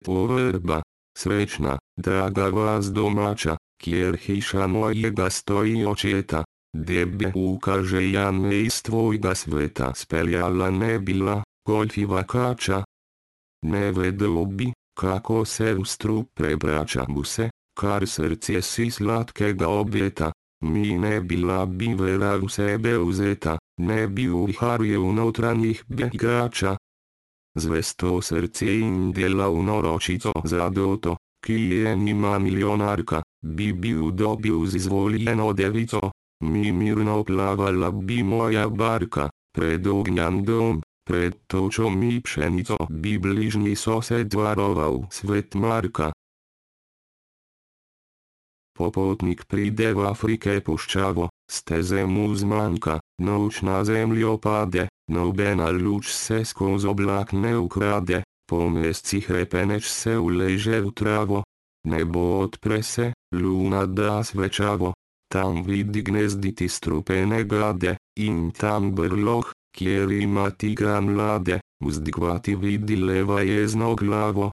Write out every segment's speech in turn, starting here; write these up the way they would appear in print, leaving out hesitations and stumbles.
Povrba, srećna, draga vas domaća, kjer hiša mojega stoji očeta, debe ukaže jame iz tvojega sveta speljala ne bila, golfiva kača. Ne vedelo bi, kako se u strup prebraća buse, kar srce si slatkega objeta, mi ne bila bi vera u sebe uzeta, ne bi u viharje unotranjih bjegača. Zvesto srce im dela unoročico zadoto, ki je nima milionarka, bi dobil z izvoljeno devico, mi mirno plavala bi moja barka, pred ognjan dom, pred točom i pšenico bi bližnji sosed varoval svet Marka. Popotnik pride v Afrike puščavo, steze mu zmanjka, noč na zemljo pade, nobena luč se skoz oblak ne ukrade, po mesecih repeneč se uleže v travo, nebo odpre se, luna da svečavo, tam vidi gnezditi strupene gade, in tam brloh, kjer ima tigra mlade, vzdigvati vidi leva jezno glavo.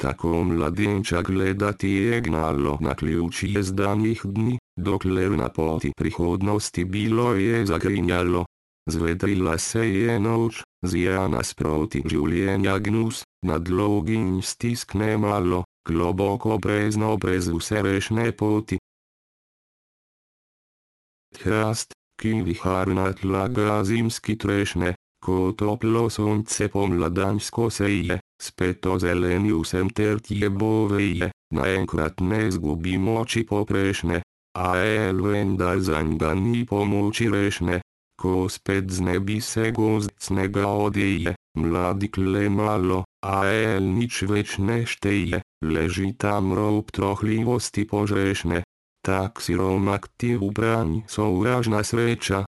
Tako mladenča gledati je gnalo na ključi jezdanih dni, dokler na poti prihodnosti bilo je zagrinjalo. Zvedrila se je noč, zija nasproti življenja gnus, nadlog in stiskne malo, globoko brezno brez vse rešne poti. Hrast, ki viharna tlaga zimski trešne, ko toplo sonce pomladansko seje, spet ozeleni vsem tertje boveje, naenkrat ne zgubi moči poprešne, a vendar zanj ga ni pomoči rešne, ko spet z nebi se gozd snega odeje, mladi kle malo, a nič več ne šteje, leži tam rob trohljivosti požrešne, tak siromak ti v branj sovražna sreča.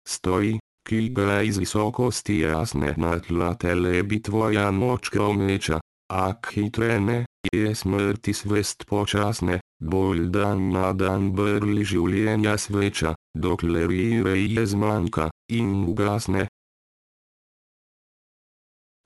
Stoji, ki ga iz visokosti jasne na tla telebi tvoja moč kromeča, ak hitrene, je smrti svest počasne, bolj dan na dan brli življenja sveča, dokler je zmanjka, in ugasne.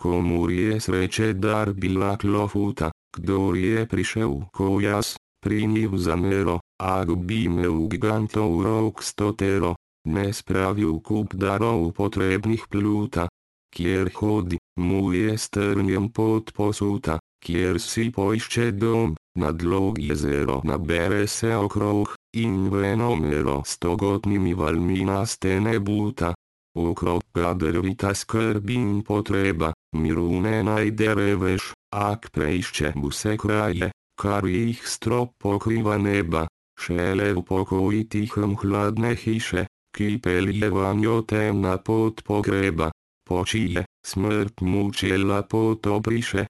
Komur je sreče dar bila klofuta, kdor je prišel ko jaz, pri njih zamero, ak bi me v gigantov rok stotero, ne spravil kup darov potrebnih pluta, kjer hodi, mu je strnjem pot posuta, kjer si poišče dom, na dlog jezero nabere se okrog, in venomero stogotnimi valmi nastene buta. Okrog ga drvita skrb in potreba, miru ne najde reveš, ak preišče vse kraje, kar jih strop pokriva neba, šele v pokoji tihem hladne hiše, ki pelje vanjo temna pot pogreba, počije, smrt mučela pot obriše.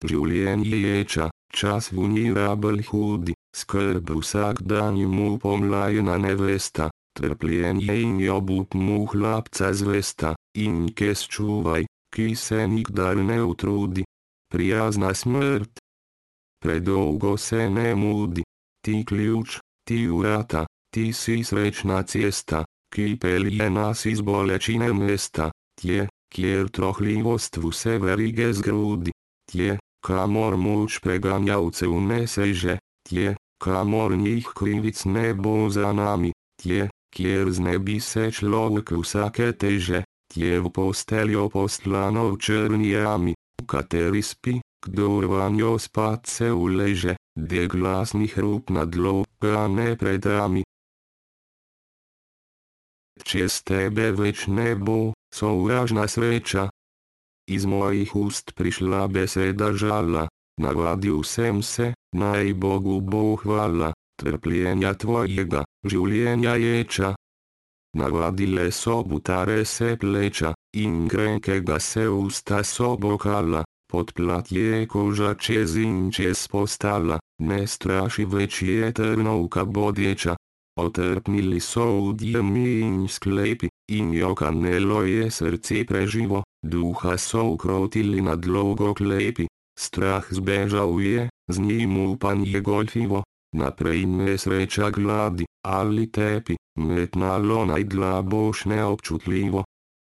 Življenje ječa, čas vulnerabel hudi, skrb vsak dan mu pomlajena nevesta, trpljenje in obup mu hlapca zvesta, in kes čuvaj, ki se nikdar ne utrudi. Prijazna smrt, predolgo se ne mudi, ti ključ, ti vrata, ti si srečna cesta, ki pelje nas iz bolečine mesta, tje, kjer trohljivost vse verige zgrudi, tje, kamor moč preganjavcev ne seže, tje, kamor njih krivic ne bo za nami, tje, kjer z nebi se človek vsake teže, tje v posteljo postlano v črni jami, v kateri spi, kdor vanjo spat se uleže, de glasnih rup nadloga ne predrami. Čez tebe več ne bo, sovražna sreča. Iz mojih ust prišla beseda žala, navadil sem se, naj Bogu bo hvala, trpljenja tvojega, življenja ječa. Navadile so butare se pleča, in grenkega se usta so bokala, pod platje koža čez in čez postala, ne straši več je trnovka bodeča. Otrpnili so udjemi in sklepi, in jokanelo je srce preživo, duha so ukrotili nadlogo klepi, strah zbežal je, z njim upanje golfivo, naprej me sreča gladi, ali tepi, metnalo najdla boš neobčutljivo,